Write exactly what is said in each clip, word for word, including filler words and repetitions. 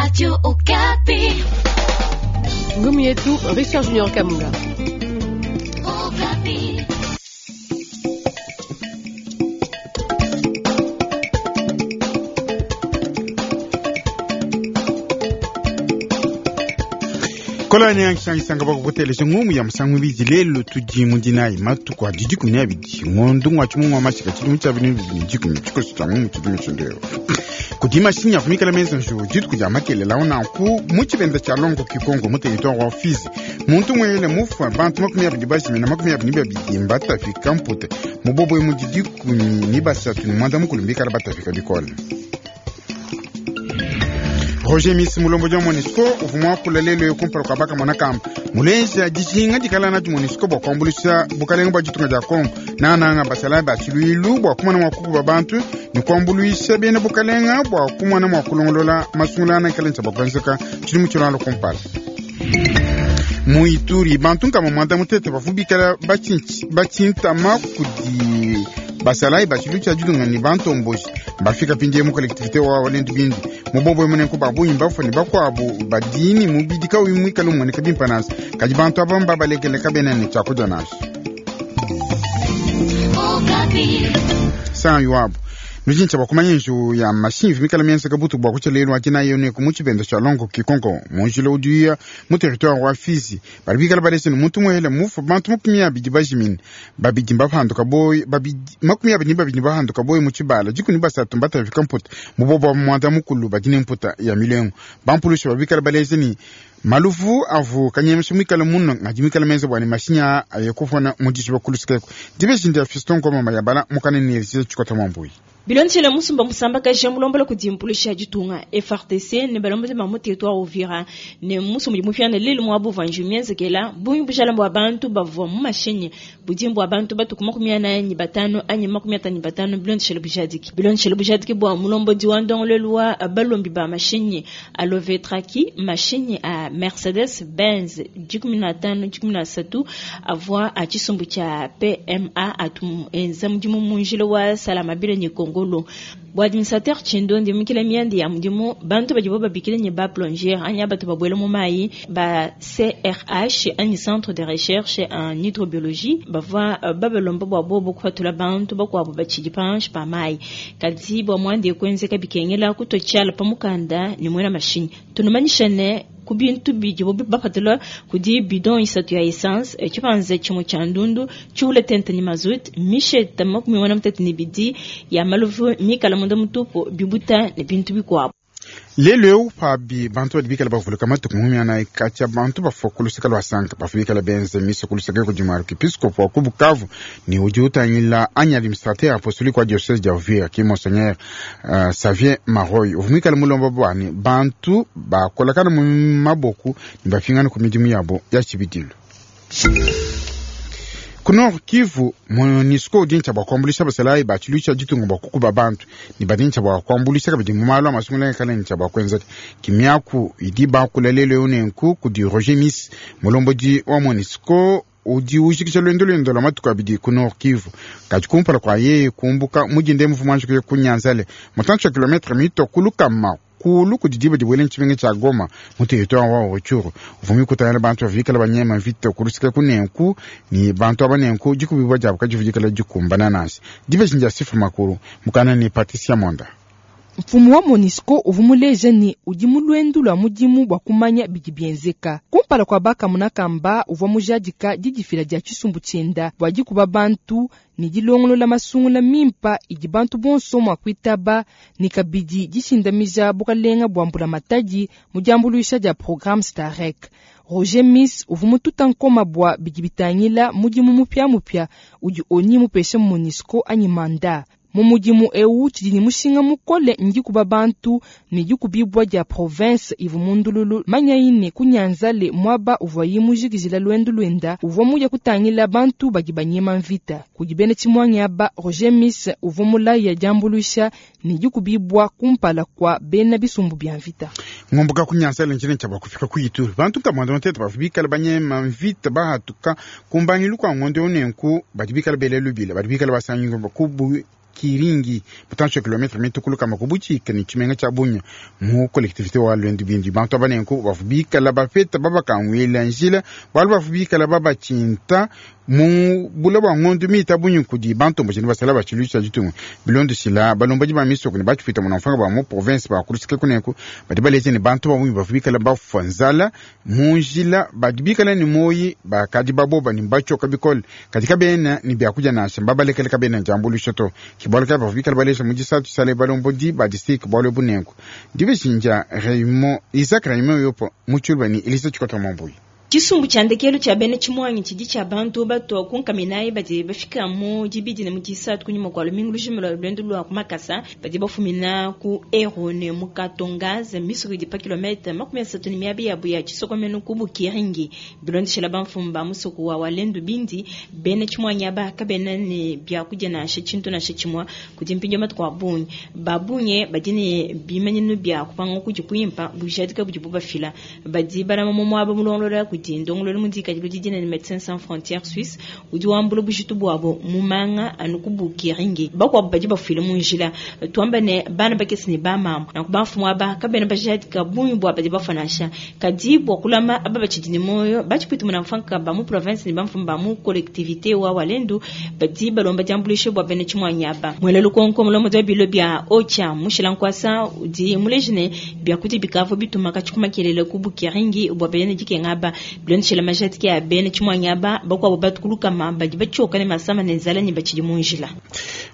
Radio Okapi. Ngumu yetu Richard Junior Kamunga. Okapi. Kolani yangishangisanga bakukuteleja ngumu ya musangu ibidi lelo tudi mudinayi matuku adi dikumi ne abidi ngondo ngwa tshimungu wa mashika tshidimu tshia binu bibidi dikumi tshikoso tshia ngumu tshidimu tshindeo kudi mashinyi akumikala menza nju dituku dia makelela unanku mu tshibenda tshia longo kikongo mu territoire wa Fizi muntu mwele mufua bantu makumi abidi bajimina makumi abidi babidi mbatafika mpute mubobwe mudi dikumi ni basatu ni mwanda mukulu mbikala batafika bikole. Roger Miss mulombo dia MONUSCO uvua muakula lelo kumpala kua bakamona kamba muleja dijinga dikala nadi MONUSCO bua kuambuluisha bukalenga bua ditunga dia Kongo nananga basalayi ba tshiluilu bua kumona mua kukuba bantu ne kuambuluisha bena bukalenga bua kumona mua kulongolola masungula anakala ntshia kuenzeka tshidimu tshilongo kumpala. Mu Ituri bantu nkama mwanda mutete bavua bikala batshintama kudi basalayi ba tshiluilu tshia ditunga ne bantomboji bafika pindie mu collectivité wa Walendu Bindi mubobwe munenku babunyi bafua ne bakuabu badini mubidi kauyi muikale umueneka bimpe nansha kadi bantu aba mbabalekele kabena ne tshiakudia nansha. Okapi. Sanyu wabu nujintsha bakumanya nju ya mashinyi vimikala mienzeka butu bua kutshia lelu adina yo ku mu tshibenda tshia longo kikongo munjila udiya mu territoire wa Fizi bali bikala balese ne muntu muhele mufu bantu makumi abidi bajimine babidi mbapanduka boyi babidi makumi abidi babidi bahanduka boyi mu tshibala dikumi basatu mbatafika mputa mubobo wa mwanda mukulu badine mputa ya milengo bampulusha babikala balese ni maluvu avu kanyemesha mwikala muno ngadi mwikala menza bwani mashinya ayekufona mudisha bakulusikeko dibeshindi ya Fiston Ngoma mayabala mukane ni tshikota mwambuyi bilonshela musumba musamba kaja mulombola kudimpulusha ditunga F R T C ne balombola ba mu territoire Uvira ne musumba di mufiana lelu mwa buvanju mienzekela bungi bushala bwa bantu bavua mu mashinyi budimbu abantu batuku makumi anayi ni batano anyi makumi atanu ni batano bilonshela bujadiki bilonshela bujadiki bwa mulombodi wa ndongolelu wa balombi ba mashinyi alovetraki mashinyi a Mercedes Benz dikumi na tano dikumi na satu avua a tshisumbu tshia P M A atu enza mudimu munjila wa Salamabila ni Kongo Ngolo. Bo administrateur Chindo ndi mukila miandi ya mudimu bantu badibo babikile ni ba plongeur anya batu babwele mu mai ba C R H anyi centre de recherche en hydrobiologie bavua uh, babelomba bwa bobo kupatula bantu bakwabo bachidi panche pa mai kadi bwa mwandi kwenzeka bikengela kutochala pamukanda ni mwena machine tunumanyisha ne kubintu bidibo bapatula kudi bidon isatu ya essence chipanze chimwe cha ndundu chiule tente ni mazut misheta makumi wana mutatu ni bidi ya maluvu mikala munda mutupo bibuta ne bintu bikwabo. Lelo pabi bantu badi bikala bavuluka matuku makumi anayi katshia bantu bafua ku luseke lua sanka bavua bikala benza misa ku luseke kudi muarkipiskopo wa ku Bukavu ne udi utangila anyi administrateur apostolique wa diocese dia Uvira ki monseigneur uh, Xavier Maroy uvua muikale mulomba bwani bantu bakolakana mu maboku ne bafingana ku midimu yabo ya tshibidilu. Ku Nord Kivu MONUSCO udi ntshia bua kuambuluisha basalayi ba tshiluilu tshia ditunga bua kukuba bantu ne badi ntshia bua kuambuluisha kabidi mu malu a masungula kala ntshia bua kuenzeka kimiaku idi bakula lelo eu nenku kudi Roger Miss mulombodi wa MONUSCO udi ujikisha lwendo lwendo lwa matuku abidi ku Nord Kivu kadi kumpala kua yeye kumbuka mudinde muvu wanji ku Nyanzale mutantshi wa kilometre mito kulukama kulu kudi diba dibuele ntshimenga tshia Goma mu territoire wa Rutshuru uvumi kutangila bantu bavikala banyema mvita kulusika kunenku ni bantu aba nenku dikubibwa diabo kadivudikala dikumbana nansi dibeji dia sifa makulu mukana ni Patricia Monda. Mfumu wa MONUSCO uvua muleja ne udi mu lwendu lwa mudimu bua kumanya bidi bienzeka kumpala kua bakamuna kamba uvua mujadika didifila dia tshisumbu tshienda bua dikuba bantu ne dilongolola masungula mimpa idi bantu bonso mua kuitaba ne kabidi dishindamija bukalenga bua mbulamatadi mu diambuluisha dia programme Starek. Roger Miss uvua mututa nkoma bua bidi bitangila mudimu mupiamupia udi oni mupeshe MONUSCO anyi manda. Mu mudimu eu tshidi ne mushinga mukole ndikuba bantu ne dikubibwa dia province ivu mundululu manyaine ku Nyanzale mwaba uvua mujikijila lwendu lwenda uvua muya kutangila bantu badi banyema mvita kudi bena tshimwanyi aba Roger Miss uvua mulaya diambuluisha ne dikubibwa kumpala kwa bena bisumbu bya mvita. Ngomboka ku Nyanzale njine tshia bakufika ku Ituri bantu kamwanda mutete bavua bikala banyema mvita bahatuka kumbangilu kwa ngondo nenku badi bikala bele lubila badi bikala basanyinga kubu Bukiringi mutantshi wa kilometre mitukulu kama kubuchika ni tshimenga tshia Bunia mu collectivité wa Lwendu Bindi. Bantu aba nenku bavu bikala bapeta babakanguila njila bualu bavu bikala babatshinta mu bula bua ngondu mita bunyi kudi bantu mbajini basala batshiluisha ditunga bilondeshila balombodi ba misoko ne batshipita muna mfanga ba mu province bakulusike kuneku badi baleja ne bantu babunyi bavu bikala bafua nzala mu njila badi bikala ne moyi bakadi baboba ne batshioka bikole kadi kabena ne biakudia nansha mbabalekele kabena diambuluisha to ke bualu kayi bavu bikala baleja mu disatu tshisale balombodi ba district bualu ebu nenku dibeshinja Raymond Isaac Raymond yopo mu tshiluba ne Elisa Tshikota Mambuyi. Tshisumbu tshia ndekelu tshia bena tshimuangi tshidi tshia bantu batwa kunkaminayi badi bafika mu dibidi ne mu disatu kunyima kua lumingu lujima lua luendu lua ku makasa badi bafumina ku Ero ne mu Katongaze misoko idi pa kilomètre makumi asatu ne miaba yabu ya tshisokomenu ku Bukiringi. Bilondeshela bamfumu ba musoko wa Walendu Bindi bena tshimuangi aba kabena ne biakudia nansha tshintu nansha tshimue kudi mpindieu matuku a bungi. Babunye badi ne bimanyinu bia kupanga kudi kuimpa bujadika budibu bafila badi balama mu muaba mulongolola kudi ndongololo mudikadi ludidi ne Médecins Sans Frontières Suisse udi wambula bujitu buabo mu manga anu ku Bukiringi. Bakuabu badi bafuile mu njila tuamba ne bana bakese ne bamama nanku bamfumu aba kabena bajadika bungi bua badi bafua nansha kadi bua kulama aba batshidi ne moyo batshipita muna mfanka ba mu province ne bamfumu ba mu collectivité wa Walendu badi balomba diambuluisha bua bena tshimuanyi aba. Mwela lukonko mulomo dia bilo bia Ocha mushila nkwasa udi muleji ne biakudia bikavua bituma katshikumakelele ku Bukiringi bua bena dikenga aba bilondeshela majadiki ya bena tshimuanyi aba bakuabu batukulukama badi batshioka ne masama ne nzala ne batshidi mu njila.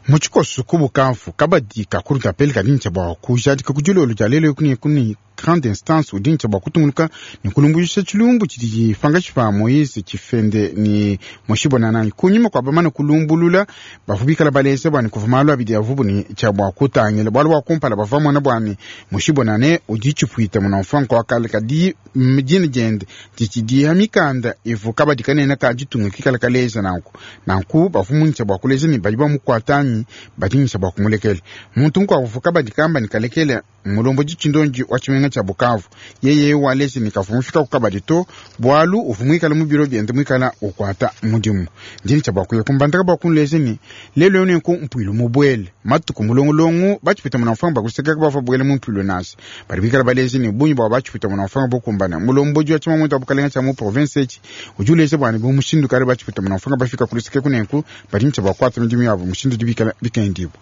Mu tshikoso ku Bukavu kabadi kakulu kapele kadi bua kujadika ku dilolo dia lelo kuni kuni grande instance udi ntshia bua kutunguluka ne kulumbuluisha tshilumbu tshidi tshipangashi pa Moise Tshifende ne Moshibonanani kunyima kua bamane kulumbulula bavua bikala baleza bua ne kuvua malu abidi avubu ne tshia bua kutangila bualu bua kumpala bavua mona bua ne Moshibonane udi tshipuita muna mfanka wa kale kadi dina diende ditshidiha mikanda ivu kabadi kanene ka ditunga kikala kaleza nanku nanku bavua muntshia bua kuleja ne badi bamukuatanyi badi ntshia bua kumulekela muntu mukuabu uvua kabadi kamba ne kalekela mulombo tshindonji wa tshimenga tshia Bukavu yeye walezi ne kavua mufika ku kabadi to bualu uvua muikala mu biro biende muikala ukwata mudimu ndini tshia bua kuya kumbandaka bua kunleja ne lelo yo nenku mpuilu mubuele matuku mulongolongo batshipita muna mfanga bakusekaka bavua buele mu mpuilu nansha badi bikala baleja ne bungi bua batshipita muna mfanga bokumbana mulombodi wa tshimamuende wa bukalenga tshia mu province etshi udi uleja bua ne bu mushindu kale batshipita muna mfanga bafika kuluseke kunenku badi ntshia bua kuata midimu yabo mushindu dibikala bikendibo.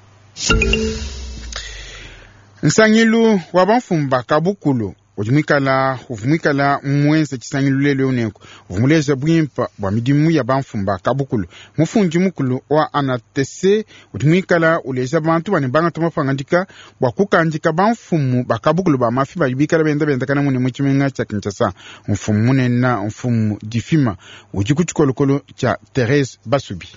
Nsangilu wa bamfumu ba kabukulu udi muikala uvua muikala muenza tshisangilu lelo nenku uvua muleja buimpa bua midimu ya bamfumu ba kabukulu. Mufundi mukulu wa A N A T C udi muikala uleja bantu bane bangata mapangadika bua kukandika bamfumu ba kabukulu ba mafi badi bikala benda bendakana mune mu tshimenga tshia Kinshasa. Mfumu munene mfumu difima udi ku tshikolokolo tshia Therese Basubi.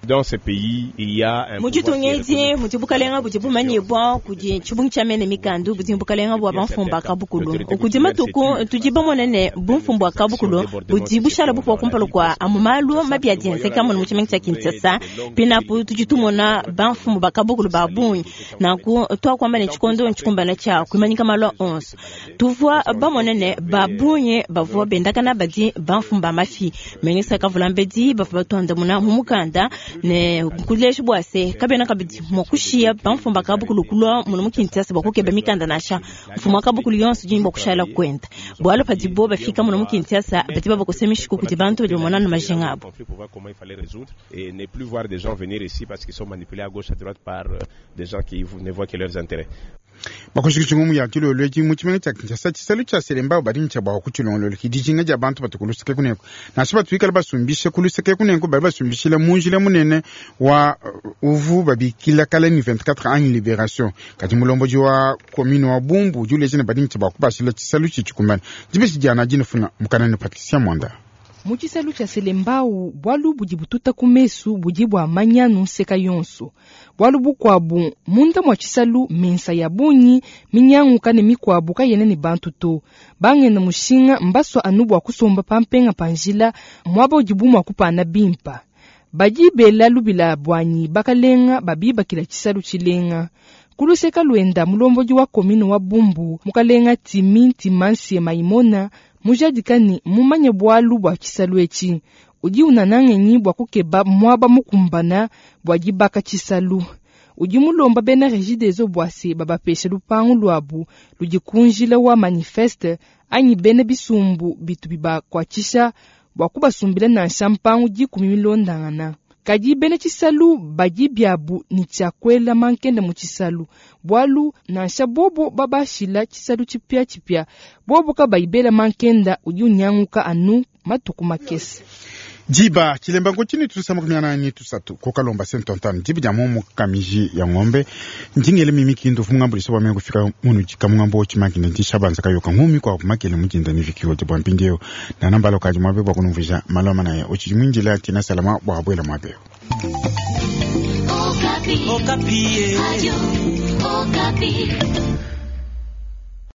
Dans ce pays, il y a un mu ditunga edi mudi bukalenga budi bumanyibua kudi tshibungi tshia mene mikandu budi bukalenga bua bamfumu ba kabukulu kudi matuku tudi bamone ne bumfumu bua kabukulu budi bushala bupua kumpala kua amu malu mabi adi enzeka munu mu tshimenga tshia Kinshasa pinapu tudi tumona bamfumu ba kabukulu ba bungi nanku tuakuamba ne tshikondo ntshikumbana tshia kuimanyika malu onso tuvua bamone ne ba bungi bavua bendakana badi bamfumu ba mafi mengisa kavula mbedi bavua batuandamuna mu mukanda ne kuleja bua se kabena kabidi mua kushiya bamfumu ba kabukulu kulua munu mu Kinshasa bua kukeba mikanda nansha mfumu wa kabukulu yonso udi ne bua kushala kwenda bualu padibo bafika munu mu Kinshasa badi babakosa mishiku kudi bantu badi bamona na majinga abo. Conflit pour voir comment il fallait résoudre et ne plus voir des gens venir ici parce qu'ils sont manipulés à gauche à droite par euh, des gens qui ne voient que leurs intérêts. Bakushikisha ngumu ya tshilolo etshi mu tshimenga tshia Kinshasa tshisalu tshia Selembao badi ntshia bua kutshilongolola dijinga dia bantu batu kuluseke kunenku nansha batu bikala basumbisha kuluseke kunenku badi basumbishila mu njila munene wa uh, uvu babikila kala ni vingt-quatre anyi libération kadi mulombodi wa commune wa Bumbu udi uleja ne badi ntshia bua kubashila tshisalu tshitshikumbana dibesi diana dinefuna mukanani Patricia Mwanda. Mu tshisalu tshia Selembao bualu budi bututa ku mesu budi bua manyanu nseka yonso bualu bukuabu munda mua tshisalu mensa ya bungi minyanguka ne mikuabu kayena ne bantu to bangena mushinga mbasua anu bua kusomba pampenga pa njila muaba udibu mua kupana bimpa badi bela lubila buanyi bakalenga babibakila tshisalu tshilenga kuluseka luenda mulombodi wa commune wa Bumbu mukalenga Timi Ntimansie Maimona mujadika ne mumanye bualu bua tshisalu etshi udi unana ngenyi bua kukeba muaba mukumbana bua dibaka tshisalu Udi mulomba bena Regideso bua se babapesha lupangu luabu ludi ku njila wa manifeste anyi bena bisumbu bitu bibakuatshisha bua kubasumbila nansha mpangu dikumi milondangana. Kadi bena tshisalu badi biabu ni tshia kuela mankenda mu tshisalu, bualu nansha bobo babashila tshisalu tshipiatshipia, bobo kabayi bela mankenda udi unyanguka anu matuku makese. Diba chilemba ngotshini tusama kumiana ni tusatu kokalomba sentontano diba dia mumu kamiji ya ng'ombe ndingele mimi kindu fungambulisa bwa mengo fika munu jika mungambo chimakine ndishabanza kayoka ngumi kwa makele mujinda ni vikiwo bwa mpindieu nanambalo kaji mwabe bwa kunumvisha maloma naye uchichimwinjila tina salama bwa bwela mwabe. Okapi. Okapi. Radio Okapi.